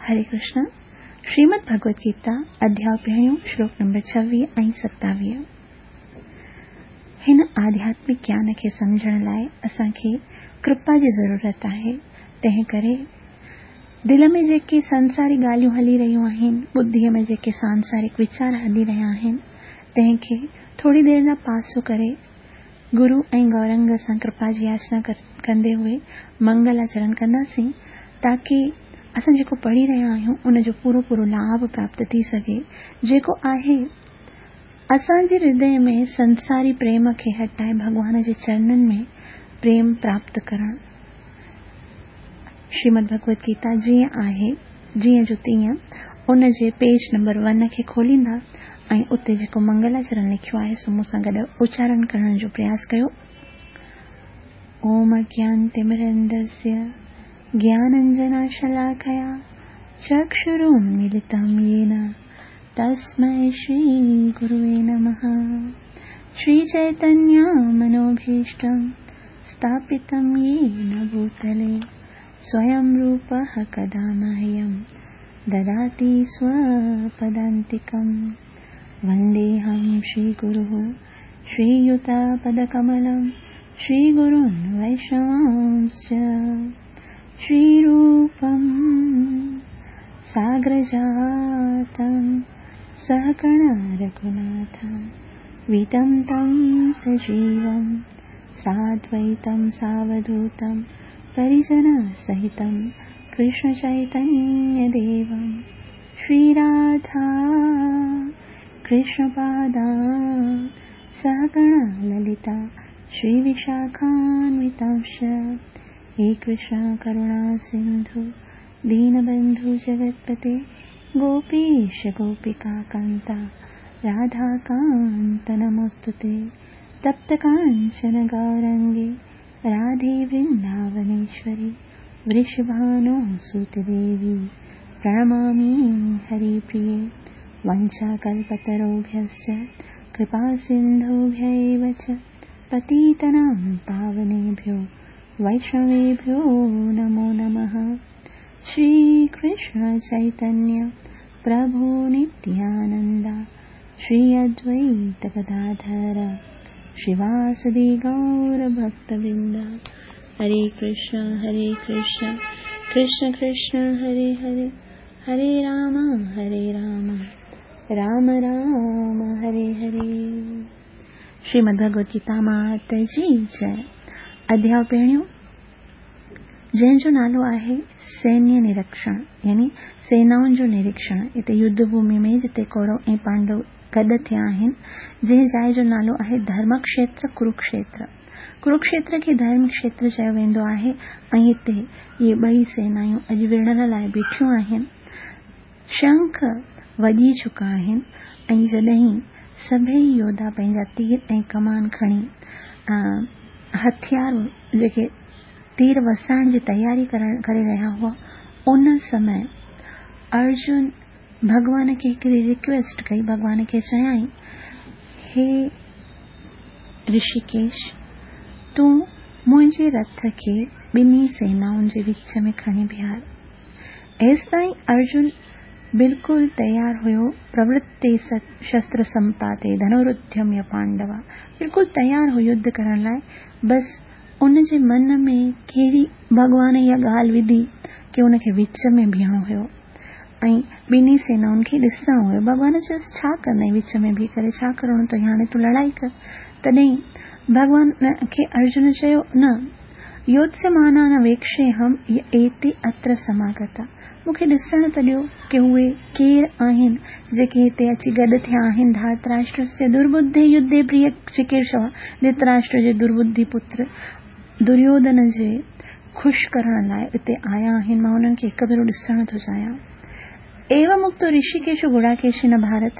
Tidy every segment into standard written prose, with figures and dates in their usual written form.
हरे कृष्ण। श्रीमद् भगवद गीता अध्याय पहिरियों श्लोक नंबर 26 ऐं 27। हिन आध्यात्मिक ज्ञान खे सम्झण लाइ असांखे कृपा जी ज़रूरत आहे। तंहिं करे दिलि में जेके संसारी ॻाल्हियूं हली रहियूं आहिनि, बुद्धीअ में जेके सांसारिक वीचार हली रहिया आहिनि, तंहिंखे थोरी देरि लाइ पासो करे गुरू ऐं गौरंग सां कृपा जी याचना कंदे हुए मंगलाचरण कंदासीं, ताकी असां जेको पढ़ी रहिया आहियूं उन जो पूरो पूरो लाभ प्राप्त थी सघे। जेको आहे असांजे हृदय में संसारी प्रेम खे हटाए भॻवान जे चरणनि में प्रेम प्राप्त करणु। श्रीमद् भगवद गीता जीअं आहे जीअं जो तीअं उन जे पेज नंबर 1 खे खोलींदा ऐं उते जेको मंगलाचरण लिखियो आहे सो मूंसां गॾु उच्चारण करण जो प्रयास कयो। ओम अज्ञानतिमिरन्धस्य ज्ञानाञ्जनशलाकया चक्षुरुन्मीलितं येन तस्मै श्रीगुरुवे नमः। श्रीचैतन्यमनोभीष्टं स्थापितं येन भूतले स्वयं रूपः कदा मह्यं ददाति स्वपदान्तिकं। वन्देऽहं श्रीगुरुः श्रीयुतपदकमलं श्रीगुरून् वैष्णवांश्च। श्रीरूपं साग्रजातं सहगण रघुनाथं वितं तं सजीवं साद्वैतं सावधूतं परिजनसहितं कृष्णचैतन्यदेवं। श्रीराधा कृष्णपादा सहगण ललिता श्रीविशाखान्वितांश्च। हे कृष्ण करुणा सिन्धु दीनबन्धु जगत्पते गोपीश गोपिकान्ता राधाकान्त नमोऽस्तुते। तप्तकाञ्चन गौरङ्गे राधे वृन्दावनेश्वरि वृषभानुसुते देवी प्रणमामि हरिप्रिये। वञ्चाकल्पतरुभ्यश्च कृपासिन्धुभ्यैव च पतितानां पावनेभ्यो वैष्णवेभ्यो नमो नमः। श्रीकृष्ण चैतन्य प्रभु नित्यानन्द श्री अद्वैत गदाधर श्रीवासदि गौरभक्तवृन्द। हरे कृष्ण कृष्ण कृष्ण हरे हरे, हरे राम राम राम हरे हरे। श्रीमद् भगवद गीता मात जी जय। अध्याय पहिरियों जंहिंजो नालो आहे सैन्य निरीक्षण, यानी सेनाउनि जो निरीक्षण। हिते युद्ध भूमि में जिते कौरव ऐं पांडव गॾु थिया आहिनि, जंहिं जाइ जो नालो आहे धर्मक्षेत्र कुरुक्षेत्र। कुरुक्षेत्र खे धर्मक्षेत्र चयो वेंदो आहे ऐं हिते इहे ॿई सेनायूं अॼु विढ़ण लाइ बीठियूं आहिनि। शंख वॼी चुका आहिनि ऐं जॾहिं सभई योद्धा पंहिंजा तीर ऐं कमान खणी हथियार जेके तीर वसाइण जी तयारी करे रहिया हुआ, उन समय अर्जुन भॻवान खे हिकिड़ी रिक्वेस्ट कई। भॻवान खे चयाईं, हे ऋषिकेश, तूं मुंहिंजे रथ खे ॿिन्ही सेनाउनि जे विच में खणी बीहार। एसिताईं अर्जुन बिल्कुलु तयारु हुयो। प्रवृत्ते शस्त्र संपाते धनुरुद्यम्य पांडवा, बिल्कुलु तयारु हो युद्ध करण लाइ। बसि उनजे मन में कहिड़ी भॻवान इहा ॻाल्हि विधी की उनखे विच में बीहणो हुयो ऐं ॿिन्ही सेनाउनि खे ॾिसणो हुयो। भॻवान चयोसि, छा कंदई विच में बीह करे, छा करिणो अथई, हाणे तूं लड़ाई कर। तॾहिं भॻवान खे अर्जुन चयो, न योत्स्यमाना न वेक्षेऽहं एते अत्र समागता, मूंखे ॾिसण त ॾियो की उहे केरु आहिनि जेके हिते अची गॾु थिया आहिनि। धातराष्ट्रस्य दुर्बुद्धे युद्धे प्रिय चिकीर्षव, धृतराष्ट्र जे दुर्बुद्धि पुत्र दुर्योधन जे ख़ुशि करण लाइ हिते आया आहिनि, मां हुननि खे हिकु भेरो ॾिसणु थो चाहियां। एवं उक्तो ऋषिकेशो गुडाकेशेन भारत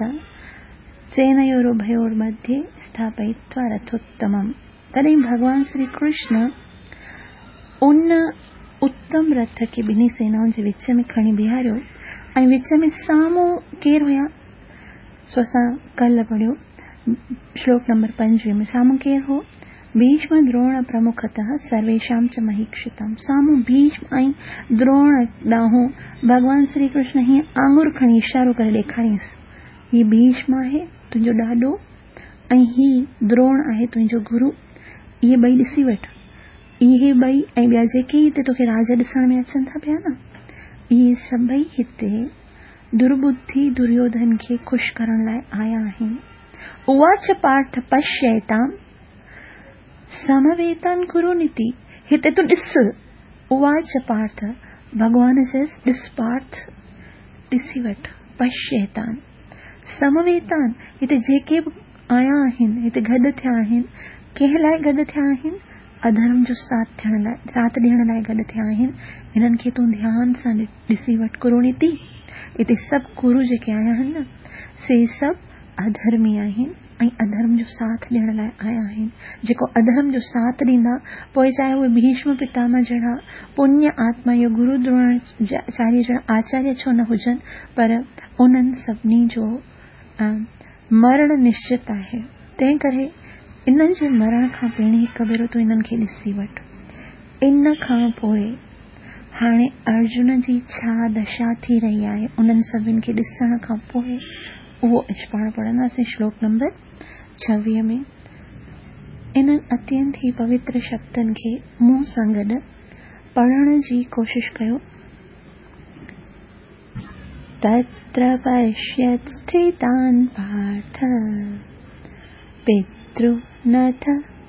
सेनयोरुभयोर्मध्ये स्थापयित्वा रथोत्तमम्। तॾहिं भॻवान श्री कृष्ण उन उत्तम रथ खे ॿिन्ही सेनाउनि जे विच में खणी बीहारियो ऐं विच में साम्हूं केरु हुया, सो असां कल्ह पढ़ियो श्लोक नंबर 25 में। साम्हूं केरु हो? ڀيشم دروڻ پرمکتः سرويشام چ مهيڪشتام سامهون ڀيشم ۽ دروڻ ڏانهن ڀڳوان شري ڪرشن هيئن آڱر کڻي اشارو ڪري ڏيکارينس، هي ڀيشم آهي تنهنجو ڏاڏو ۽ هي دروڻ آهي تنهنجو گرو، اهي ٻئي ڏسي وٺ. اهي ٻئي ۽ ٻيا جيڪي هتي توکي راجا ڏسڻ ۾ اچن ٿا پيا نه، اهي سڀئي هتي درٻڌي دريوڌن کي خوش ڪرڻ لاء آيا آهن. اواچ پارٿ پشيتام سمويتان ڪرونيتي، هتي تون ڏس، اواچ پارٿ، ڀڳوان چيس، ڏس پارٿ، ڏسي وٺ، پشيتان سمويتان، هتي جيڪي به آيا آهن، هتي گڏ ٿيا آهن، ڪنهن لاء گڏ ٿيا آهن؟ اڌرم جو ساٿ ٿيڻ لاء، ساٿ ڏيڻ لاء گڏ ٿيا آهن، هنن کي تون ڌيان سان ڏسي وٺ ڪرونيتي، هتي سڀ ڪرو جيڪي آيا آهن نه، سي سڀ اڌرمي آهن ۽ اڌرم جو ساٿ ڏيڻ لاء آيا آهن، جيڪو اڌرم جو ساٿ ڏيندا، پوء چاهي اهي ڀيشم پتامه جهڙا پڃ آتما يا گرو دروناچاريه جهڙا آچاريه ڇو نه هجن، پر انهن سڀني جو مرڻ نشچت آهي، تنهن ڪري انهن جي مرڻ کان پهرين هڪ ڀيرو تون انهن کي ڏسي وٺ. ان کان پوء هاڻي ارجن جي ڇا دشا ٿي رهي آهي، انهن سڀن کي ڏسڻ کان پوء اهو اڄ پاڻ پڙهنداسين شلوڪ نمبر 26 ۾. انهن اتينت ئي پوتر شبدن کي مون سان گڏ پڙهڻ جي ڪوشش ڪيو. تتر پشيت اسٿتان پارٿ پترنٿ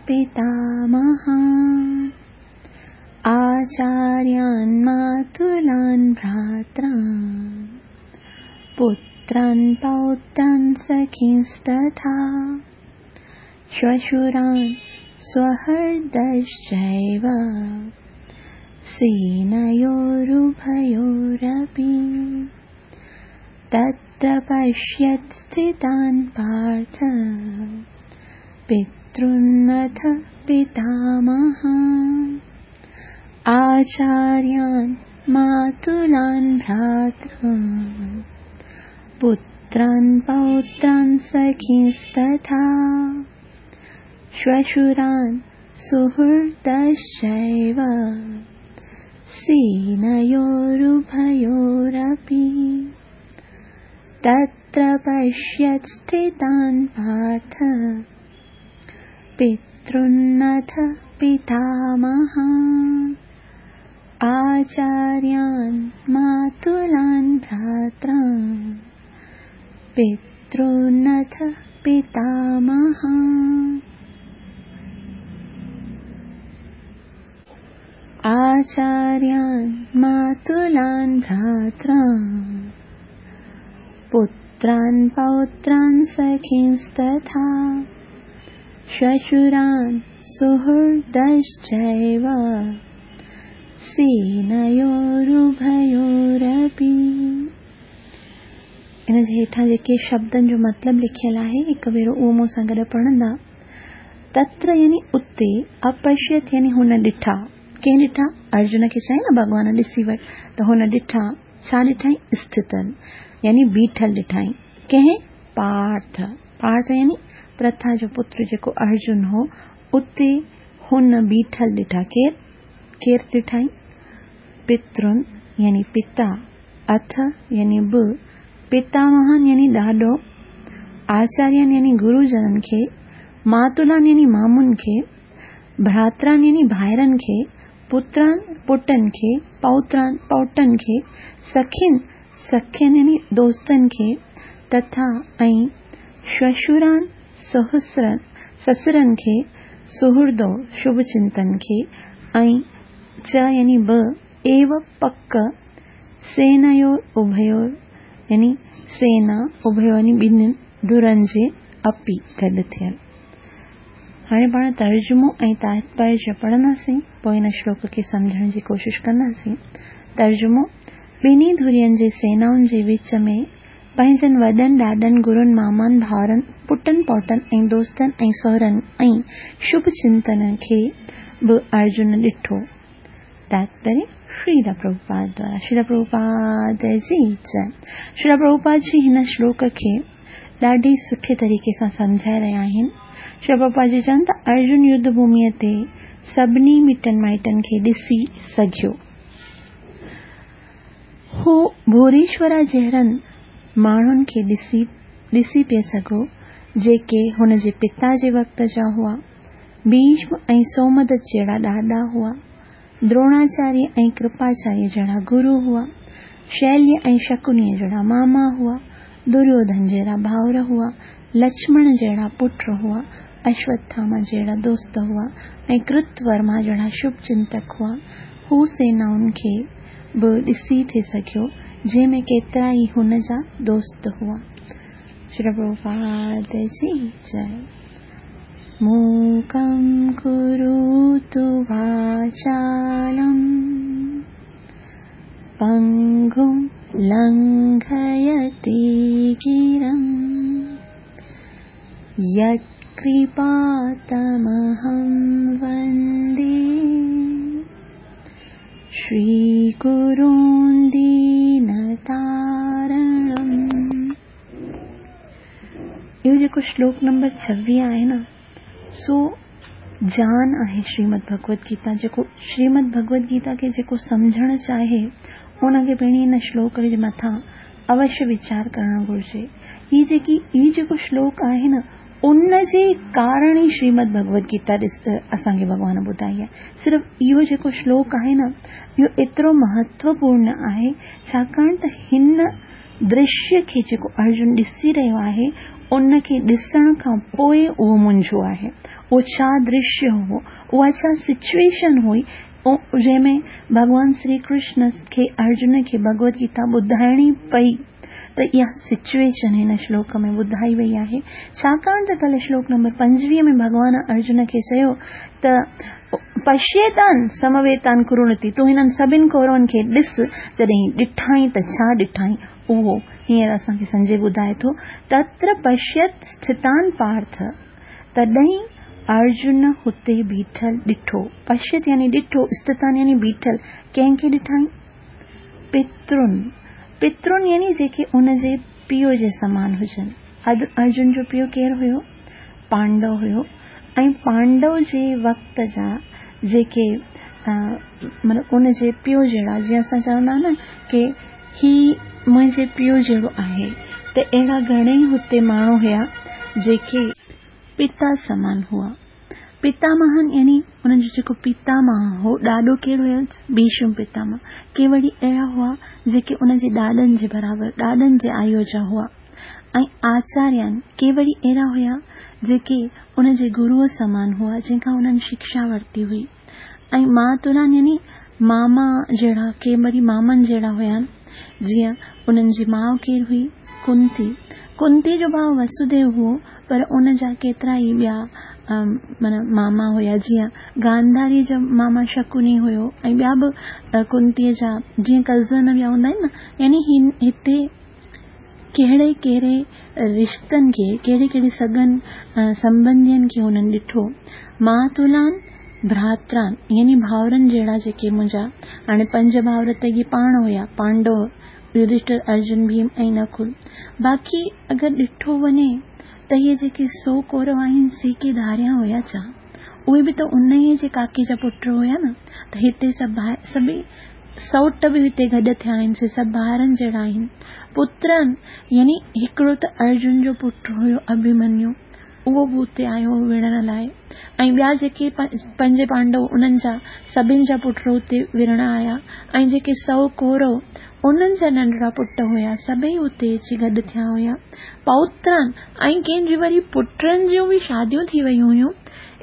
پتامهان آچاريان ماتلان ڀراتران پتران پوتران سخينستٿا شوشران سوهردشچيو سينيورڀيورپي تتر پشيت اسٿتان پارٿ پترنٿ پتامهان آچاريان ماتلان ڀراتران پتران پوتران سخينستٿا شوشران سهردشچيو سينيورڀيورپي تتر پشيت اسٿتان پارٿ پترنٿ پتامهان آچاريان ماتلان ڀراتران پترنٿ پتامهان آچاريان ماتلان ڀراتران پتران پوتران سخينستٿا شوشران سهردشچيو سينيورڀيورپي. ان جي هيٺان جيڪي شبدن جو مطلب لکيل آهي هڪ ڀيرو اهو مون سان گڏ پڙهندا. تتر يعني اتي، اپشيت يعني هن ڏٺا. ڪنهن ڏٺا؟ ارجن کي چيائين نه ڀڳوان ڏسي وٺ ته هن ڏٺا. ڇا ڏٺائين؟ اسٿتن يعني بيٺل ڏٺائين. ڪنهن؟ پارٿ. پارٿ يعني پرٿا جو پتر جيڪو ارجن هو، اتي هن بيٺل ڏٺا. ڪير؟ ڪير ڏٺائين؟ پترن يعني پتا، اٿ يعني به، پتامهن يعني ڏاڏو، آچارين يعني گروجنن کي، ماتلان يعني مامن کي، ڀراتران يعني ڀائرن کي، پتران پٽن کي، پوتران پوٽن کي، سخين سکين يعني دوستن کي، تٿا ۽ شوشران سهسرن سسرن کي، سهردو شڀ چنتن کي ۽ چ يعني به، ايو پڪ، سينيور اڀيور يعني سينا اڀيور يعني ٻنهين ڌرن جي اپي گڏ ٿيل. هاڻي پاڻ ترجمو ۽ تاتپريه پڙهنداسين، پوء هن شلوڪ کي سمجهڻ جي ڪوشش ڪنداسين. ترجمو، ٻنهي ڌرين جي سينائن جي وچ ۾ پنهنجن وڏن، ڏاڏن، گرن، مامان، ڀائرن، پٽن، پوٽن ۽ دوستن ۽ سهرن ۽ شڀ چنتن کي به ارجن ڏٺو. تاتپريه، شريلا پرڀوپاد دوارا شريلا پرڀوپاد جي جئه. شريلا پرڀوپاد جي هن شلوڪ کي ڏاڍي سٺي طريقي سان سمجهائي رهيا آهن. شريل پرڀوپاد جي چون ته ارجن يڌ ڀوميء تي سڀني مٽن مائٽن کي ڏسي سگهيو. هو ڀوريشورا جهڙن ماڻهن کي ڏسي ڏسي پئي سگهيو، جيڪي هن جي پتا جي وقت جا هئا. ڀيشم ۽ سومدت جهڙا ڏاڏا هئا. دروڻاچاريه ۽ ڪرپاچاريه جهڙا گرو هئا. شيليه ۽ شڪنيء جهڙا ماما هئا. دريوڌن جهڙا ڀائر هئا. لڇمڻ جهڙا پٽ هئا. اشوٿاما جهڙا دوست هئا ۽ ڪرت ورما جهڙا شڀ چنتڪ هئا. هو سينائن کي به ڏسي ٿي سگهيو، جنهن ۾ ڪيترا ئي هن جا دوست هئا. شريل پرڀوپاد جي جئي. موڪم ڪروتو واچالم پنگم لنگهيتي گرم يتڪرپا تمهم وندي شري گرون دينتارڻم. اهو جيڪو شلوڪ نمبر 26 آهي نه سو جان آهي شريمد ڀڳوت گيتا جيڪو شريمد ڀڳوت گيتا کي جيڪو سمجهڻ چاهي ان کي پهرين هن شلوڪ جي مٿان اوشيه ويچار ڪرڻ گهرجي. هي جيڪي هي جيڪو شلوڪ آهي نه ان جي ڪارڻ ئي شريمد ڀڳوت گيتا اسان کي ڀڳوان ٻڌائي آهي. صرف اهو جيڪو شلوڪ آهي نه اهو ايترو مهتوپورڻ آهي ڇاڪاڻ ته هن درشيه کي جيڪو ارجن ڏسي رهيو آهي ان کي ڏسڻ کان پوء اهو منجهيو آهي. اهو ڇا درشيه هو، اها ڇا سچوئيشن هئي جنهن ۾ ڀڳوان شري ڪرشن کي ارجن کي ڀڳوت گيتا ٻڌائڻي پئي ته اها سچوئيشن هن شلوڪ ۾ ٻڌائي وئي آهي. ڇاڪاڻ ته ڪلهه شلوڪ نمبر 25 ۾ ڀڳوان ارجن کي چيو ته پشيتان سمويتان ڪرونتي تون هنن سڀن ڪورون کي ڏس، جڏهن ڏٺائين ته ڇا ڏٺائين؟ اهو هينئر اسان کي سنجي ٻڌائي ٿو، تتر پشيت اسٿتان پارٿ، تڏهن ارجن هتي بيٺل ڏٺو، پشيت يعني ڏٺو، اسٿتان يعني بيٺل، ڪنهن کي ڏٺائين؟ پترن، پترن يعني جيڪي ان جي پيء جي سمان هجن. ارجن جو پيء ڪير هيو؟ پانڊو هيو ۽ پانڊو جي وقت جا جيڪي مطلب ان جي پيء جهڙا جيئن اسان چوندا نه ڪي هي منهنجي پيء جهڙو آهي ته اهڙا گهڻئي هتي ماڻهو هيا جيڪي پتا سمان هئا. پتامهن يعني انهن جو جيڪو پتامهه هو، ڏاڏو ڪير هيس؟ ڀيشم پتامهه. ڪي وري اهڙا هئا جيڪي ان جي ڏاڏن جي برابر، ڏاڏن جي آيو جا هئا. ۽ آچاريان، ڪي وري اهڙا هيا جيڪي ان جي گروء سمان هئا، جنهن کان انهن شکشا ورتي هئي. ۽ ماتولان يعني ماما جهڙا، ڪي وري مامن جهڙا هيا، جيئن انهن جي ماء ڪير هئي؟ ڪنتي. ڪنتي جو ڀاء وسوديو هو، پر ان جا ڪيترا ئي ٻيا معنيٰ ماما هيا، جيئن گانڌاريء جو ماما شڪوني هيو ۽ ٻيا به ڪنتيء جا جيئن ڪزن ٻيا هوندا آهن نه، يعني هتي ڪهڙي ڪهڙي رشتن کي، ڪهڙي ڪهڙي سڳن سنٻنڌين کي هنن ڏٺو. ماتولان ڀراتران يعني ڀائرن جهڙا جيڪي منهنجا هاڻي پنج ڀائر ته اهي پاڻ هيا، پانڊو، يڌشٽر، ارجن، ڀيم ۽ نڪل. باقي اگر ڏٺو وڃي ته اهي جيڪي سو ڪورو آهن سي ڪي ڌاريان هيا ڇا؟ اهي به ته انهيء جي ڪاڪي جا پٽ هيا نه ته هتي سڀ سڀئي سئوٽ به هتي گڏ ٿيا آهن، سي سڀ ڀائرن جهڙا آهن. پترن يعني هڪڙو ته ارجن جو پٽ هيو اڀيمنيو، اهو به اتي آيو هو وڙهڻ لاء ۽ ٻيا جيڪي پنج پانڊو انهن جا سڀن جا پٽ اتي وڙهڻ آيا ۽ جيڪي سئو ڪورو انهن جا ننڍڙا پٽ هيا سڀئي اتي اچي گڏ ٿيا هيا. پوترن ۽ ڪنهن جي وري پٽن جون به شاديون ٿي ويون هيون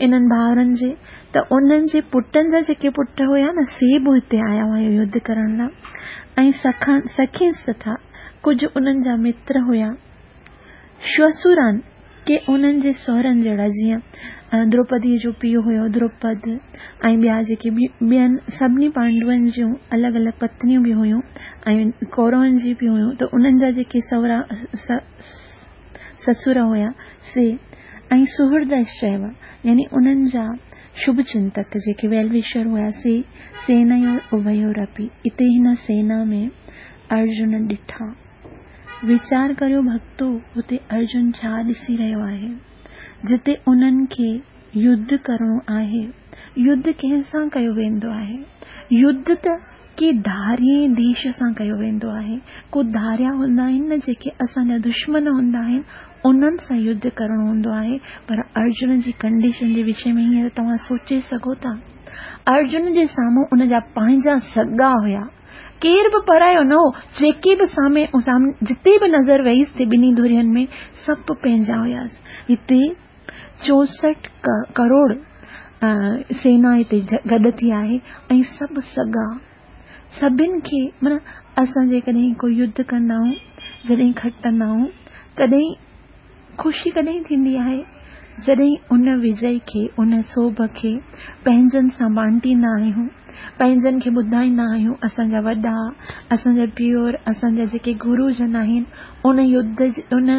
انهن ڀائرن جي ته انهن جي پٽن جا جيڪي پٽ هيا نه سي به هتي آيا هيا يڌ ڪرڻ لاء ۽ سکين سٿا ڪجهه انهن جا متر هيا شوسوران ڪي انهن جي سهرن جهڙا جيئن دروپديء جو پيء هيو دروپد ۽ ٻيا جيڪي ٻين سڀني پانڊون جون الڳ الڳ پتنيون به هيون ۽ ڪورون جي به هيون ته انهن جا جيڪي سهرا سسر هيا سي ۽ سهردشچيو يعني انهن جا شڀ چنتڪ جيڪي ويل وشر هيا سي سينيور اڀيورپي اتي هن سينا ۾ ارجن ڏٺا. ويچار ڪريو ڀڳتو هتي ارجن ڇا ڏسي رهيو آهي؟ جتي انهن کي يڌ ڪرڻو آهي. يڌ ڪنهن سان ڪيو ويندو آهي؟ يڌ ته ڪي ڌارئين ديش سان ڪيو ويندو آهي. ڪو ڌاريا هوندا آهن نه جيڪي اسان جا دشمن هوندا آهن انهن سان يڌ ڪرڻو هوندو آهي پر ارجن جي ڪنڊيشن جي وشي ۾ هينئر توهان سوچي سگهو ٿا. ارجن جي سامهون ان جا پنهنجا سڳا هيا. ڪير به پرايو نه هو. جيڪي به سامهون جتي به نظر ويس ٿي ٻنهي ڌرين ۾ سڀ پنهنجا هياس. هتي 64 ڪروڙ سينا هتي گڏ ٿي آهي ۽ سڀ سڳا سڀن کي معنيٰ اسان جيڪڏهن ڪو يڌ ڪندا آهيون جڏهن کٽندا آهيون تڏهن خوشي ڪڏهن ٿيندي آهي جڏهن ان وجئي کي ان سوڀ کي پنهنجن سان بانٽيندا آهيون پنهنجن کي ٻڌائيندا آهيون اسان جا وڏا اسان جا پيئر اسان جا جيڪي گرو جن آهن ان يڌ ان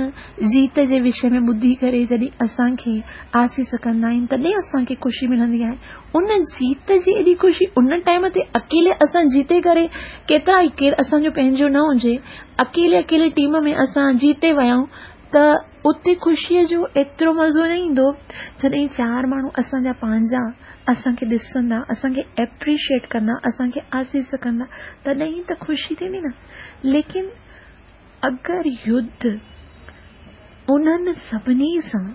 جيت جي وشي ۾ ٻڌي ڪري جڏهن اسان کي آسيس ڪندا آهن تڏهن اسان کي خوشي ملندي آهي ان جيت جي ايڏي خوشي ان ٽائيم تي اڪيلي اسان جيتي ڪري ڪيترا ئي ڪير اسان جو پنهنجو نه هجي اڪيلي اڪيلي ٽيم ۾ اسان جيتي ويا آهيون ته اتي خوشيء جو ايترو مزو نه ايندو جڏهن چار ماڻهو اسان جا پنهنجا اسان کي ڏسندا اسان کي ايپريشيئيٽ ڪندا اسان کي آسيس ڪندا تڏهن ته خوشي ٿيندي نه ليڪن اگر يڌ انهن سڀني سان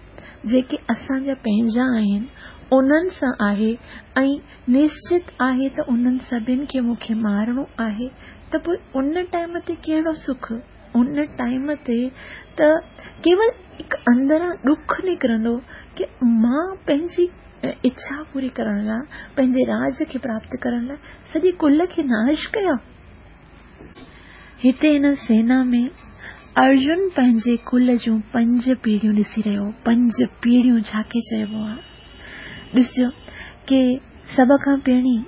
جيڪي اسان جا پنهنجا آهن انهن سان آهي ۽ نشچت آهي ته انهن سڀن کي مون کي مارڻو آهي ته پوء ان ٽائيم تي ڪهڙو سک ان ٽائيم تي ته ڪيول هڪ اندران ڏک نڪرندو ڪي مان پنهنجي اڇا پوري ڪرڻ لاء پنهنجي راج کي پراپت ڪرڻ لاء سڄي ڪل کي ناش ڪيان. هتي هن سينا ۾ ارجن پنهنجي ڪل جون پنج پيڙهيون ڏسي رهيو هو. پنج پيڙهيون ڇا کي چئبو آهي؟ ڏسجو ڪي سڀ کان پهرين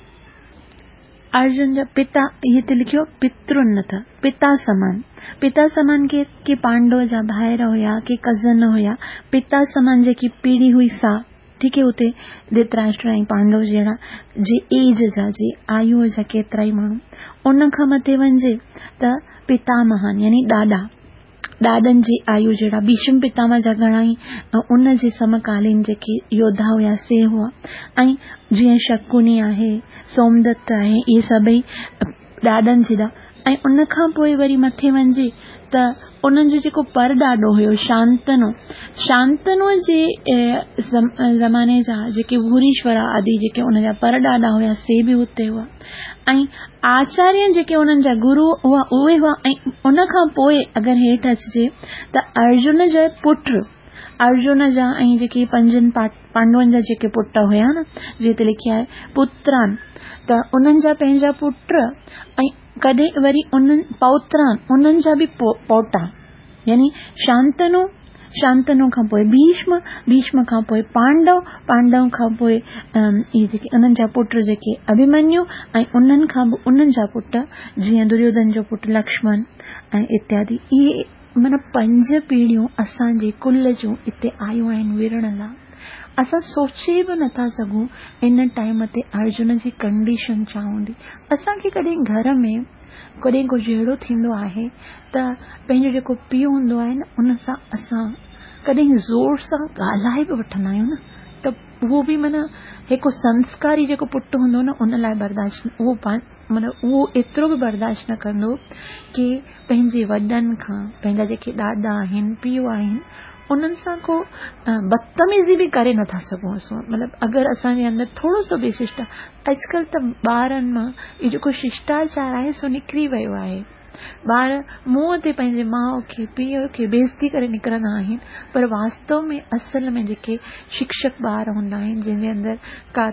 ارجن جا پتا هتي لکيو پترنٿ پتا سمان پتا سمان ڪي ڪي پانڊو جا ڀائر هيا ڪي ڪزن هيا پتا سمان جيڪي پيڙهي هئي سا ٺيڪ هي اتي ڌرتراشٽر ۽ پانڊو جهڙا جي ايج جا جي آيو جا ڪيترا ئي ماڻهو ان کان مٿي وڃجي ته پتامهان يعني ڏاڏا ڏاڏن جي آيو جهڙا ڀيشم پتامه جا گهڻا ئي ان جي سمڪالين جيڪي يوڌا هيا سي هئا ۽ جيئن شڪوني آهي سومدت آهي اهي سڀئي ڏاڏن جيڏا ۽ ان کان پوء وري مٿي وڃجي ته انهن جو جيڪو پر ڏاڏو هيو شانتنو شانتنو جي زماني جا جيڪي ڀوريشورا آدي جيڪي ان جا پر ڏاڏا هيا سي به اتي هئا ۽ آچاريه جيڪي انهن جا گرو هئا اهي هئا ۽ ان کان پوء اگر هيٺ اچجي ته ارجن جا پٽ ارجن جا ۽ جيڪي پنجن پانڊون جا جيڪي پٽ هيا نه جيئن هتي لکيو آهي پتران ته انهن جا پنهنجا پٽ ۽ ڪڏهن وري انهن پوتران انهن جا به پوٽا يعني شانتنو شانتنو کان پوء ڀيشم ڀيشم کان پوء پانڊو پانڊو کان پوء اهي جيڪي انهن جا پٽ جيڪي اڀيمنيو ۽ انهن کان به انهن جا پٽ جيئن دريوڌن جو پٽ لڪشمن ۽ اتيادي اهي معنيٰ پنج پيڙهيون اسان جي ڪل جون اتي آيون آهن وڙهڻ لا. اسان سوچي به نٿا سگهون ان ٽائيم تي ارجن جي ڪنڊيشن ڇا هوندي. اسان کي ڪڏهن گهر ۾ ڪڏهن ڪو جهيڙو ٿيندو آهي ته پنهنجو جيڪو پيء هوندو آهي نه ان سان اسان ڪڏهن زور سان ڳالهائي به وٺندا آهيون نه ته اهو به معنيٰ هڪ سنسڪاري جيڪو پٽ هوندو نه ان لاء برداشت اهو معنيٰ اهو ايترو به برداشت نه ڪندو ڪي پنهنجي وڏن کان پنهنجا جيڪي ڏاڏا آهن پيء آهن انهن سان ڪو بدتميزي به ڪري نٿا سگهون اسان مطلب اگر اسان جي اندر ٿورو سو به ششٽا اڄڪلهه ته ٻارن مان اهو جيڪو ششٽاچار آهي سو نڪري ويو آهي ٻار منهن تي پنهنجي ماء کي پيء کي بيعزتي ڪري نڪرندا آهن پر واستو ۾ اصل ۾ جيڪي شڪشڪ ٻار هوندا آهن جنهن جي اندر ڪا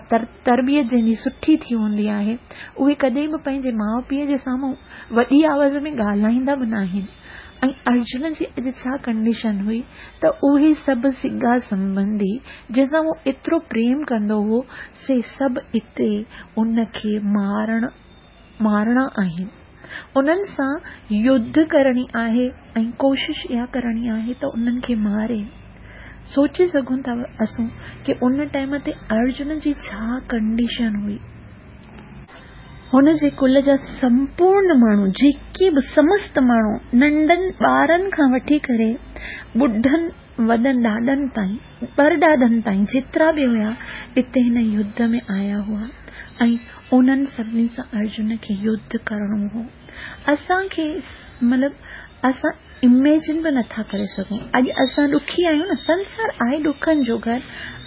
تربيت جنهن جي سٺي ٿي هوندي آهي اهي ڪڏهن به پنهنجي ماء پيء جي سامهون وڏي آواز ۾ ڳالهائيندا به ناهن ۽ ارجن جي اڄ ڇا ڪنڊيشن هئي ته اهي سڀ سڳا سنٻنڌي جنهن سان هو ايترو پريم ڪندو هو سي سڀ اتي ان کي مارڻ مارڻا آهن انهن سان يڌ ڪرڻي آهي ۽ ڪوشش اها ڪرڻي آهي ته انهن کي ماري سوچي سگهون ٿا اسون ڪي ان ٽائيم تي ارجن جي ڇا ڪنڊيشن هئي. هن جي ڪل جا سمپورن ماڻهو، جيڪي به سمست ماڻهو، ننڍن ٻارن کان وٺي ڪري ٻڍن وڏن ڏاڏن تائين، پرڏاڏن تائين جيترا به هيا، اتي هن يڌ ۾ آيا هئا ۽ انهن سڀني سان ارجن کي يڌ ڪرڻو هو. اسان کي مطلب اسان اميجن به نٿا ڪري سگهون. اڄ اسان ڏکي آهيون نه، سنسار آهي ڏکن جو گهر.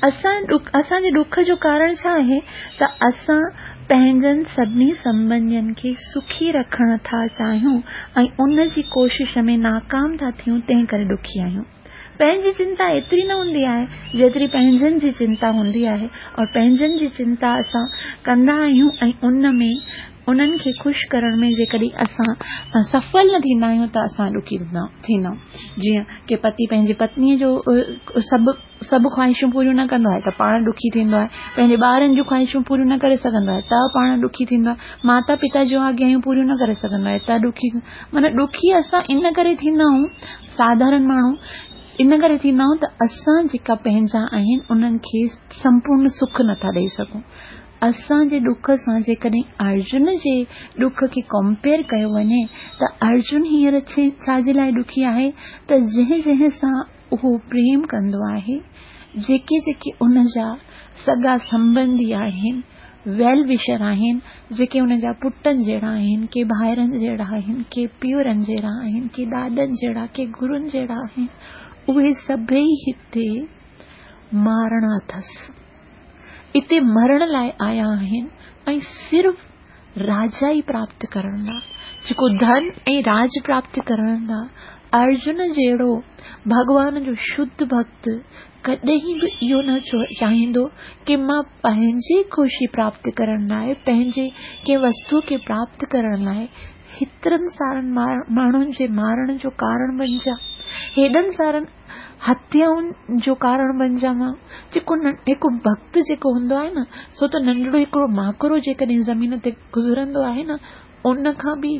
اسان اسان جي ڏک جو ڪارڻ ڇا آهي ته اسان پنهنجن سڀني سنٻنڌين کي سکي رکڻ ٿا چاهيون ۽ ان جي ڪوشش ۾ ناڪام ٿا ٿيون، تنهن ڪري ڏکي آهيون. پنهنجي چنتا ايتري نه هوندي آهي جيتري پنهنجن جي چنتا هوندي آهي اور پنهنجن جي چنتا اسان ڪندا آهيون ۽ ان ۾ انهن کي خوش ڪرڻ ۾ جيڪڏهن اسان سڦل نه ٿيندا آهيون ته اسان ڏکي ٿيندا آهيون. جيئن ڪي پتي پنهنجي پتنيء جو سڀ سڀ خواهشون پوريون نه ڪندو آهي ته پاڻ ڏکي ٿيندو آهي. پنهنجي ٻارن جون خواهشون پوريون نه ڪري سگهندو آهي ته پاڻ ڏکي ٿيندو آهي. ماتا پتا جون آگيائون پوريون نه ڪري سگهندو آهي ته ڏکي معنيٰ ڏکي اسان ان ڪري ٿيندا آهيون ساڌارڻ ماڻهو ان ڪري ٿيندا آهيون ته اسان جيڪا پنهنجا آهن انهن کي سمپورڻ سک نٿا ڏئي سگهون. اسان جي ڏک سان جيڪڏهن ارجن جي ڏک کي ڪمپيئر ڪيو وڃي ته ارجن هينئر ڇا جي لاء ڏکي آهي ته جنهن جنهن سان اهو پريم ڪندو آهي، جيڪي جيڪي ان جا سڳا سنٻنڌي آهن، ويل وشر آهن، جيڪي ان جا پٽن جهڙا آهن، ڪي ڀائرن جهڙا آهن، ڪي پيئرن جهڙا آهن، ڪي ڏاڏن جهڙا، ڪي گرن جهڙا آهن، اهي سڀئي هتي مارڻا اٿس. اتي مرڻ لاء آيا آهن ۽ صرف راجا ئي پراپت ڪرڻ لاء، جيڪو ڌن ۽ راج پراپت ڪرڻ لاء ارجن جهڙو ڀڳوان جو شڌ ڀڳت ڪڏهن به اهو نه چاهيندو ڪي مان پنهنجي خوشي پراپت ڪرڻ لاء، پنهنجي ڪنهن وستو کي پراپت ڪرڻ لاء هيترن سارن ماڻهن جي مارڻ جو ڪارڻ بنجان، هيڏن سارن هتيائن جو ڪارڻ بنجان مان. جيڪو هڪ ڀڳت جيڪو هوندو آهي نه، سو ته ننڍڙو هڪڙو ماڪڙو جيڪڏهن زمين تي گذرندو آهي نه، ان کان به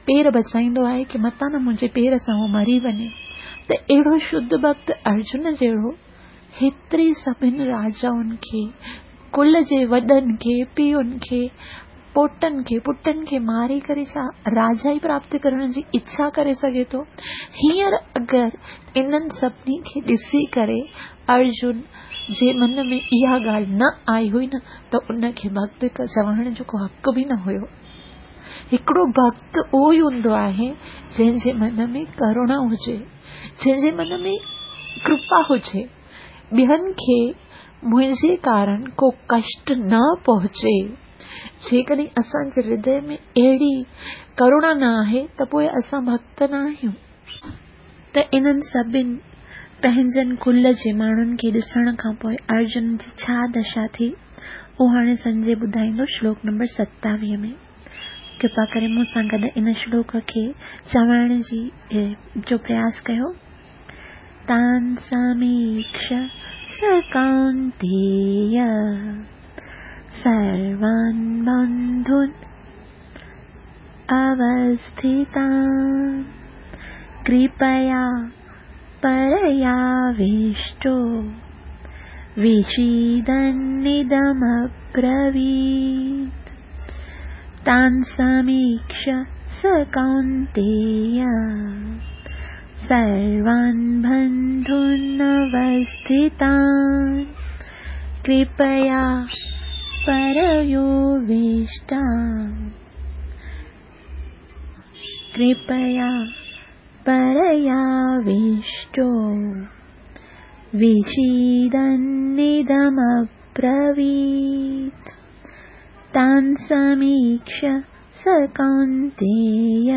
پير بچائيندو آهي ڪي متان نه منهنجي پير سان هو مري وڃي. ته اهڙو شڌ ڀڳت ارجن جهڙو هيتري سڀن راجائن کي، ڪل جي وڏن کي، پيئن کي، پوٽن کي، پٽن کي ماري ڪري ڇا راجائي پراپت ڪرڻ جي اڇا ڪري سگهي ٿو؟ هينئر اگر انهن سڀني کي ڏسي ڪري ارجن جي من ۾ اها ڳالهه نه آئي هئي نه ته ان کي ڀڳت چوڻ جو ڪو حق به نه هيو. هڪڙو ڀڳت اهو ئي هوندو آهي جنهن جي من ۾ ڪروڻا هجي، جنهن جي من ۾ ڪرپا هجي، ٻين کي منهنجي ڪارڻ ڪو ڪشٽ نه پهچي. جيڪڏهن اسان جي هردي ۾ اهڙي ڪروڻا نه آهي ته پوء اسان ڀڳت نه آهيون. ته انهن سڀن پنهنجن ڪل جي ماڻهن کي ڏسڻ کان پوء ارجن جي ڇا دشا ٿي، اهو هاڻي سنجي ٻڌائيندو شلوڪ نمبر 27 ۾. ڪرپا ڪري مون سان گڏ ان شلوڪ کي چوڻ جي جو پرياس ڪيو. تان سميڪش س ڪونتيي سروان بنڌون اوسٿتان ڪرپيا پرياوشٽو وشيدنِدمبرويت. تان سميڪش س ڪونتيي سروان بنڌون اوسٿتان ڪرپيا پرياوشٽا ڪرپيا پرياوشٽو وشيدنِدمبرويت. تان سميڪش س ڪونتيي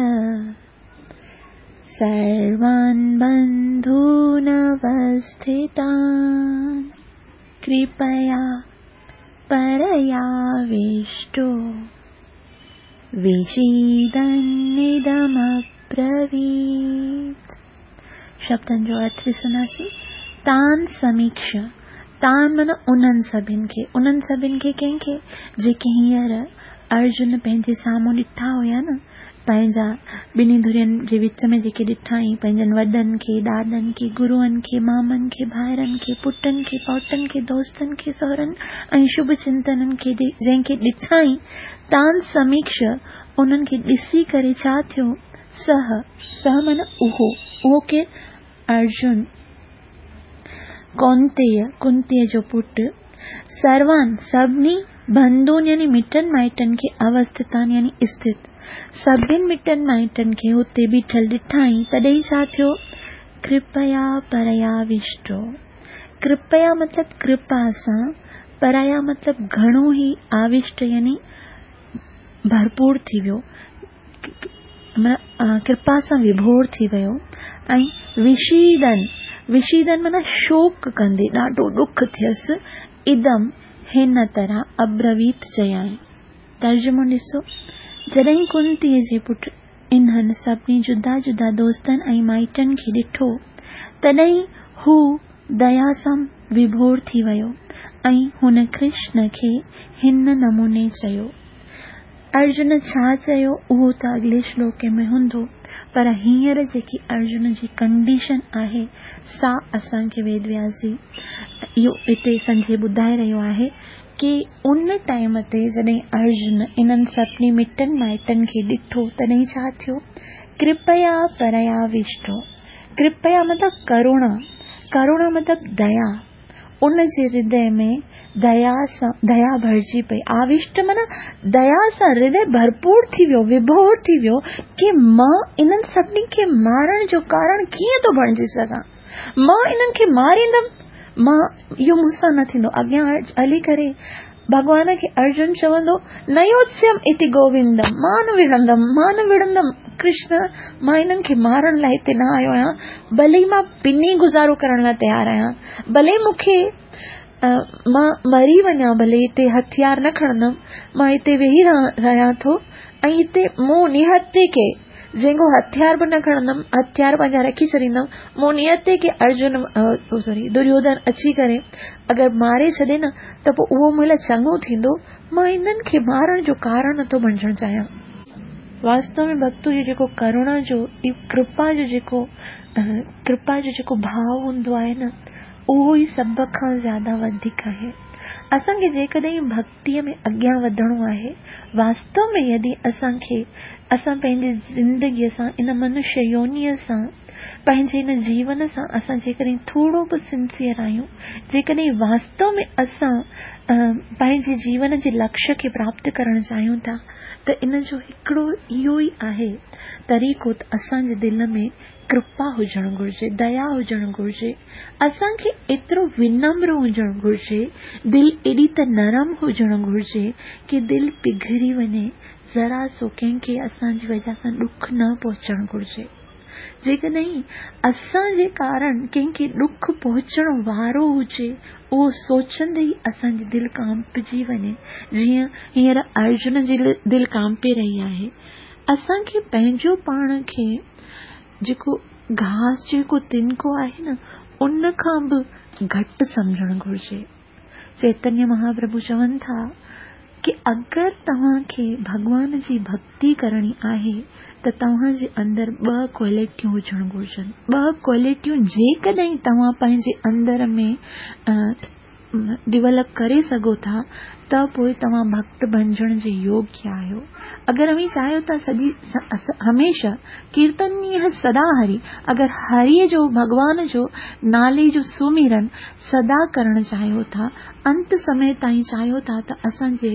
سروان بنڌون اوسٿتان ڪرپيا پرياوشٽو وشيدنِدمبرويت. شبدن جو ارٿ ڏسنداسين. تان سميڪش، تان معنيٰ انهن سڀن کي، انهن سڀن کي ڪنهن کي؟ جيڪي هينئر ارجن پنهنجي سامهون ڏٺا هيا نه، پنهنجا ٻنهي ڌرين جي وچ ۾ جيڪي ڏٺائين، پنهنجن وڏن کي، ڏاڏن کي، گروئن کي، مامن کي، ڀائرن کي، پٽن کي، پوٽن کي، دوستن کي، سهرن ۽ شڀ چنتنن کي جنهن کي ڏٺائين، تان سميڪش انهن کي ڏسي ڪري ڇا ٿيو؟ سه، سه معنيٰ اهو، اهو ڪير؟ ارجن، ڪونتيء، ڪنتيء جو پٽ، سروان، سڀني، بنڌون يعني مٽن مائٽن کي اوسٿتان يعني اسٿت، سڀن مٽن مائٽن کي هتي بيٺل ڏٺائين، تڏهن ڇا ٿيو؟ ڪرپيا پرياوشٽو، ڪرپيا مطلب ڪرپا سان، پريا مطلب گهڻو ئي آوشٽ يعني ڀرپور ٿي ويو، معنيٰ ڪرپا سان وڀور ٿي ويو ۽ وشيدن، وشيدن معنيٰ شوڪ ڪندي ڏاڍو ڏک ٿيس، ادم هن طرح ابرويت چيائين. ترجمو ڏسو، جڏهن ڪنتيء جي پٽ انهن سڀني جدا جدا دوستن ۽ مائٽن کي ڏٺو، تڏهن هو ديا سان وڀور ٿي ويو ۽ هن ڪرشن کي هن نموني چيو. ارجن ڇا چيو اهو ته اڳلي شلوڪ ۾ هوندو پر هينئر جيڪي ارجن جي ڪنڊيشن آهي سا اسان کي ويد وياس جي اهو هتي سنجي ٻڌائي رهيو آهي ڪي ان ٽائيم تي جڏهن ارجن انهن سڀني مٽن مائٽن کي ڏٺو تڏهن ڇا ٿيو ڪرپيا پرياوشٽو ڪرپيا مطلب ڪروڻا ڪروڻا مطلب ديا ان جي هردي ۾ ديا سان ديا ڀرجي پئي. آوشٽ معنيٰ ديا سان هردي ڀرپور ٿي ويو، وڀور ٿي ويو ڪي مان انهن سڀني کي مارڻ جو ڪارڻ ڪيئن ٿو بڻجي سگهان؟ مان انهن کي ماريندم؟ مان اهو مون سان نه ٿيندو. اڳيان هلي ڪري ڀڳوان کي ارجن چوندو، نه يوتسيم اتي گووندم، مان نه وڙهندم، مان نه وڙهندم، ڪرشن مان انهن کي مارڻ لاء هتي نه آيو آهيان، ڀلي مان پني گذارو ڪرڻ لاء تيار آهيان، ڀلي مون کي مان مري وڃان، ڀلي هتي هٿيار نه کڻندم، مان هتي ويهي رهيان ٿو ۽ هتي مون نهتي کي جنهن کان هٿيار به نه کڻندم، هٿيار پنهنجا رکي ڇڏيندم، مون نيت کي ارجن سوري دريوڌن اچي ڪري اگر ماري ڇڏي نه ته پوء اهو مون لاء چڱو ٿيندو، مان انهن کي مارڻ جو ڪارڻ نٿو بڻجڻ چاهيان. واستو ۾ ڀڳت جو جيڪو ڪروڻا جو ڪرپا جو جيڪو ڪرپا جو جيڪو ڀاو هوندو آهي نه اهو ئي سڀ کان زياده وڌيڪ آهي. اسان کي جيڪڏهن ڀڳتي ۾ اڳيان وڌڻو آهي. واستو ۾ يدي اسان کي اسان پنهنجي زندگيء سان ان منشيه يونيء سان پنهنجي ان جيون سان اسان جيڪڏهن ٿورو به سنسيئر آهيون جيڪڏهن واستو ۾ اسان پنهنجي جيون جي لڪشيه کي پراپت ڪرڻ چاهيون ٿا ته ان جو هڪڙو اهو ئي آهي طريقو ته اسان جي دل ۾ ڪرپا هجڻ گهرجي، ديا هجڻ گهرجي، اسان کي ايترو ونمر هجڻ گهرجي، دل ايڏي ته نرم هجڻ گهرجي ڪي دل پگهري وڃي، ذرا سو ڪنهن کي اسان جي وجه سان ڏک نه پهچڻ گهرجي. جيڪڏهن اسان جي ڪارڻ ڪنهن کي ڏک پهچڻ وارو هجي، اهو سوچندي ئي اسان جي دل ڪانپجي وڃي، جيئن هينئر ارجن جي دل ڪانپي رهي آهي. اسان کي پنهنجو پاڻ کي جيڪو گاهه جو هڪ تنڪو آهي نه ان کان به گهٽ سمجهڻ گهرجي. چيتنيه مهاپرڀو چون ٿا ڪي اگر توهان کي ڀڳوان جي ڀڳتي ڪرڻي آهي ته توهان جي اندر ٻه ڪوالٽيون هجڻ گهرجن. ٻه ڪوالٽيون جيڪڏهن توهان پنهنجي اندر ۾ ڊولپ ڪري سگهو ٿا ته پوء توهان ڀڳت بڻجڻ جي يوگيه آهيو. اگر اوهين چاهيو ٿا سڄي هميشه ڪيرتنيه سدا هري اگر هري جو ڀڳوان جو نالي جو سمرن سدا ڪرڻ چاهيو ٿا انت سمي تائين چاهيو ٿا ته اسان جي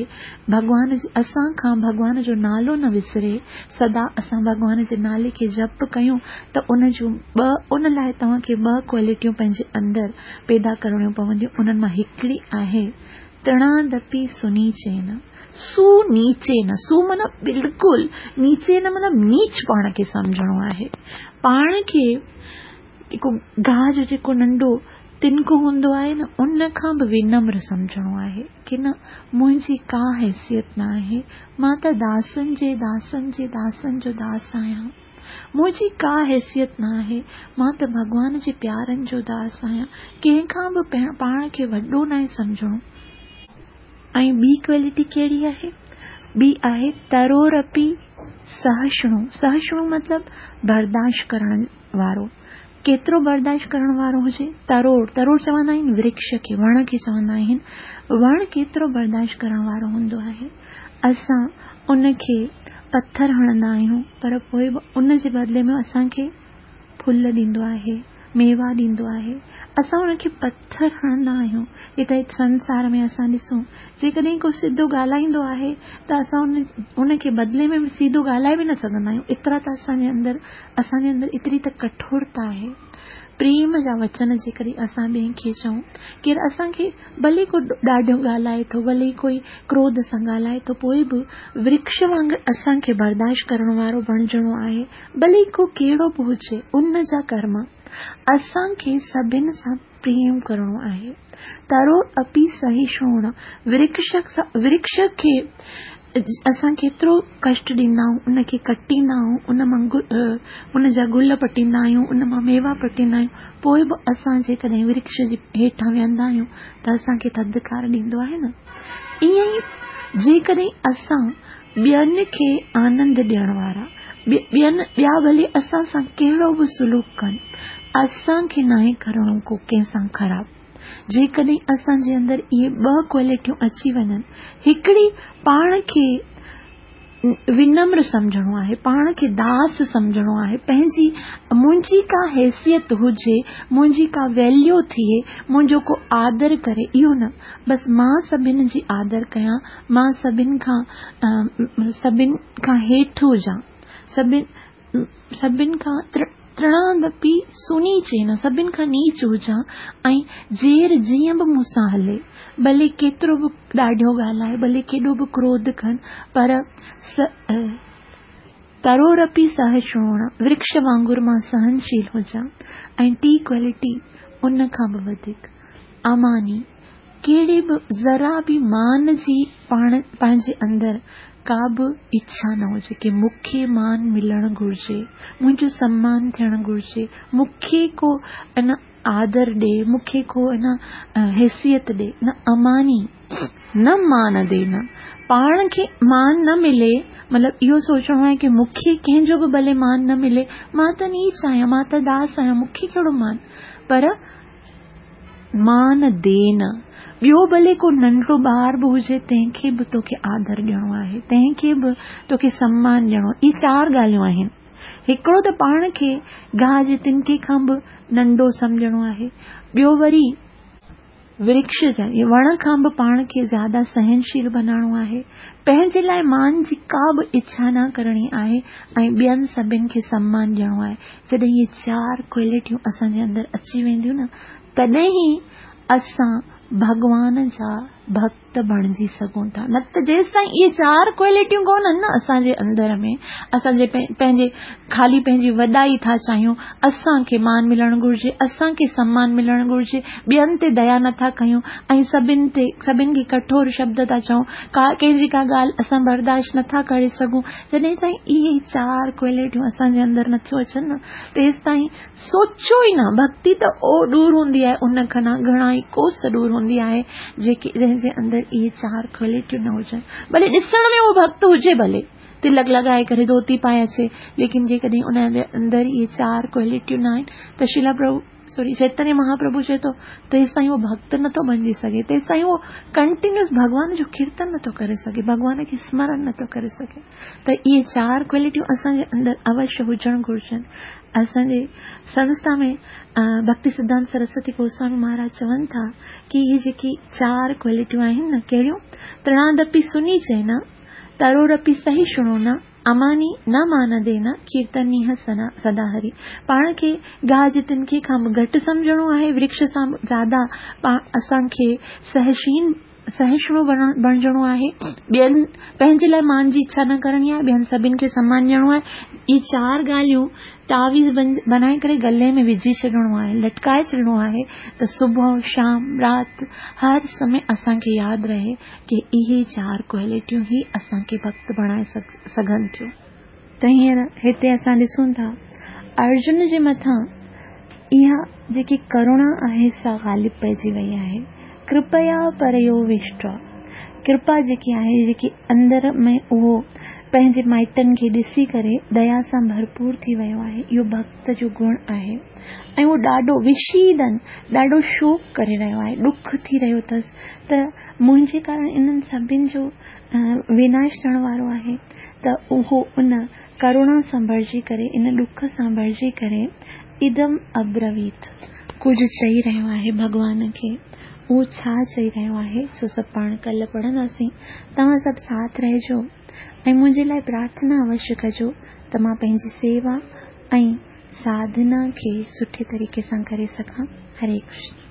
ڀڳوان جي اسان کان ڀڳوان جو نالو نه وسري سدا اسان ڀڳوان جي نالي کي جپ ڪيون ته ان جون ٻه ان لاء توهان کي ٻه ڪوالٽيون پنهنجي اندر پيدا ڪرڻيون پونديون، انهن مان هڪڙي آهي تڻادپي سنيچين، سو نيچين، سو معنيٰ بلڪل، نيچين معنيٰ نيچ پاڻ کي سمجهڻو آهي. پاڻ کي جيڪو گاهه جو جيڪو ننڍو تنڪو هوندو آهي نه، ان کان به ونمر سمجهڻو آهي ڪي نه منهنجي ڪا حيثيت نه آهي، مان ته داسن جي داسن جي داسن جو داس آهيان. منهنجي ڪا حيثيت نه آهي، مان ته ڀڳوان جي پيارن جو داس آهيان، ڪنهن کان به پاڻ کي وڏو ناهي سمجهڻو. ۽ ٻي ڪوالٽي ڪهڙي آهي؟ ٻي آهي ترورپي سهشڻو. سهشڻو مطلب برداشت ڪرڻ وارو. ڪيترو برداشت ڪرڻ وارو هجي؟ ترور، ترور چوندا آهن ورڪش کي، وڻ کي چوندا آهن. وڻ ڪيترو برداشت ڪرڻ وارو هوندو آهي؟ اسان ان کي پٿر هڻندا آهيون پر پوء به ان جي بدلي ۾ اسان کي ڦل ڏيندو آهي، ميوا ڏيندو آهي. اسان ان کي پٿر هڻندا آهيون. هتي سنسار ۾ اسان ڏسون جيڪڏهن ڪو سڌو ڳالهائيندو آهي ته اسان ان کي بدلي ۾ به سيڌو ڳالهائي به نه سگهندا آهيون. ايترا ته اسان جي اندر اسان جي اندر ايتري ته ڪٺورتا آهي. پريم جا وچن جيڪڏهن اسان ٻئي کي چئون، ڪير اسان کي ڀلي ڪو ڏاڍو ڳالهائي ٿو، ڀلي ڪوئي ڪروڌ سان ڳالهائي ٿو، پوء به ورڪش وانگر اسان کي برداشت ڪرڻ وارو بڻجڻو آهي، ڀلي ڪو ڪهڙو به هجي، ان جا ڪرم اسان کي سڀن سان پريم ڪرڻو آهي. ترو اپي سهشڻو، ورڪش کي اسان ڪيترو ڪشٽ ڏيندا آهيون، ان کي ڪٽيندا آهيون، ان مان ان جا گل پٽيندا آهيون، ان مان ميوا پٽيندا آهيون، پوء به اسان جيڪڏهن ورڪش جي هيٺان ويهندا آهيون ته اسان کي ٿڌڪار ڏيندو آهي نه. ائين ئي جيڪڏهن اسان ٻين کي آنند ڏيڻ وارا، ٻين ٻيا ڀلي اسان سان ڪهڙو به سلوڪ ڪن، اسان کي ناهي ڪرڻو ڪو ڪنهن سان خراب. جيڪڏهن اسان جي اندر اهي ٻه ڪوالٽيون اچي وڃن، هڪڙي پاڻ کي ونمر سمجهڻو آهي، پاڻ کي داس سمجهڻو آهي، پنهنجي منهنجي ڪا حيثيت هجي، منهنجي ڪا ويليو ٿئي، منهنجو ڪو آدر ڪري، اهو نه، بس مان سڀن جي آدر ڪيان، مان سڀن کان سڀن کان هيٺ هجان، سڀن سڀن کان ترڻادپي سنيچين، سڀن کان نيچ هجان ۽ جير جيئن به مون سان هلي، ڀلي ڪيترو به ڏاڍو ڳالهائي، ڀلي ڪيڏو به ڪروڌ ڪن، پر ترورپي سهشڻ، ورڪش وانگر مان سهنشيل هجان ۽ ٽي ڪوالٽي ان کان به وڌيڪ، اماني، ڪهڙي به ذرا به مان جي پاڻ پنهنجي اندر ڪا به اڇا نه هجي ڪي مون کي مان ملڻ گهرجي، منهنجو سمان ٿيڻ گهرجي، مون کي ڪو ان آدر ڏي، مون کي ڪو ان حيثيت ڏي، نه اماني، نه مان ڏي نه پاڻ کي مان نه ملي، مطلب اهو سوچڻو آهي ڪي مون کي ڪنهن جو به ڀلي مان نه ملي، مان ته نيچ آهيان، مان ته داس آهيان، مون کي ڪهڙو مان، پر مان دين، ٻيو ڀلي ڪو ننڍڙو ٻار به هجي تنهن کي به توکي آدر ڏيڻو آهي، تنهن کي به توکي سمان ڏيڻو آهي. اهي چار ڳالهيون آهن. هڪڙو ته پاڻ کي گاهه جي تنڪي کان به ننڍو سمجهڻو آهي. ٻيو وري ورڪش جا وڻ کان به پاڻ کي زياده سهنشيل بنائڻو آهي. پنهنجي لاء مان جي ڪا به اڇا نه ڪرڻي آهي ۽ ٻين سڀن کي سمان ڏيڻو آهي. جڏهن اهي چار ڪوالٽيون اسان جي اندر اچي وينديون نه تڏهن ئي اسان ڀڳوان جا ڀڳت بڻجي سگهون ٿا نه ته جيستائين اهي چار ڪوالٽيون ڪونهن نه اسان جي اندر ۾ اسان جي پنهنجي خالي پنهنجي وڏائي ٿا چاهيون اسان کي مان ملڻ گهرجي اسان کي سمان ملڻ گهرجي ٻين تي ديا نٿا ڪيون ۽ سڀن تي سڀن کي ڪٺور شبد ٿا چئون ڪا ڪنهن جي ڪا ڳالهه اسان برداشت نٿا ڪري سگهون جڏهن تائين اهي چار ڪوالٽيون اسان جي اندر نٿيون اچن نه تيستائين سوچو ئي نه ڀڳتي ته او ڏور هوندي آهي ان کان گهڻا ئي ڪوس ڏور هوندي آهي جيڪي جنهن جي اندر اهي چار ڪوالٽيون نه هجن ڀلي ڏسڻ ۾ اهو ڀڳت هجي ڀلي تلڪ لڳائي ڪري ڌوتي پائي اچي ليڪن جيڪڏهن ان جي اندر اهي چار ڪوالٽيون نه آهن ته شريلا پرڀو سوري چيتنيه مهاپرڀو چئي ٿو تيستائين اهو ڀڳت نٿو بڻجي سگهي تيستائين اهو ڪنٽينيوس ڀڳوان جو ڪيرتن نٿو ڪري سگهي ڀڳوان کي سمرن نٿو ڪري سگهي ته اهي چار ڪوالٽيون اسان جي اندر اوشيه هجڻ گهرجن اسان جي سنسٿا ۾ ڀڪتي سڌانت سرسوتي گوسوامي مهاراج چون ٿا ڪي اهي جيڪي چار ڪوالٽيون آهن نه ڪهڙيون ترڻادپي سنيچين ترورپي سهشڻو نه اماني نه مان دين، ڪيرتنيه سدا هري. پاڻ کي گاهه جي تنڪي کان به گهٽ سمجهڻو آهي، ورڪش سان به زياده اسان کي سهشين، سهشڻو بڻجڻو آهي. ٻين پنهنجي لاء مان جي اڇا نه ڪرڻي آهي، ٻين سڀن کي سمان ڏيڻو آهي. اهي چار ڳالهيون تعويذ بنائي ڪري گلي ۾ وجهي ڇڏڻو آهي، لٽڪائي ڇڏڻو آهي ته صبح، شام، رات هر سمي اسان کي ياد رهي ڪي اهي چار ڪوالٽيون ئي اسان کي ڀڳت بڻائي سگهن ٿيون. ته هينئر هتي اسان ڏسون ٿا ارجن جي مٿان اها جيڪي ڪروڻا آهي سا غالب پئجي وئي آهي. ڪرپيا پريووشٽا ڪرپا جيڪي آهي، جيڪي اندر ۾ اهو پنهنجي مائٽن کي ڏسي ڪري ديا سان ڀرپور ٿي ويو آهي، اهو ڀڳت جو گڻ آهي ۽ اهو ڏاڍو وشيدن، ڏاڍو شوڪ ڪري رهيو آهي، ڏک ٿي رهيو اٿس ته منهنجي ڪارڻ انهن سڀن جو وناش ٿيڻ وارو آهي ته اهو ان ڪروڻا سان ڀرجي ڪري، ان ڏک سان ڀرجي ڪري ادم ابرويت. ڪجهه چئي رهيو آهي ڀڳوان کي. اهو ڇا چئي رهيو آهي سو سڀ پاڻ ڪلهه پڙهنداسين. توهان سڀ ساٿ رهجو ۽ منهنجي لاء پرارٿنا اوشيه ڪجو ته مان پنهنجي سيوا ۽ ساڌنا کي سٺي طريقي سان ڪري سگهان. هري ڪرشن.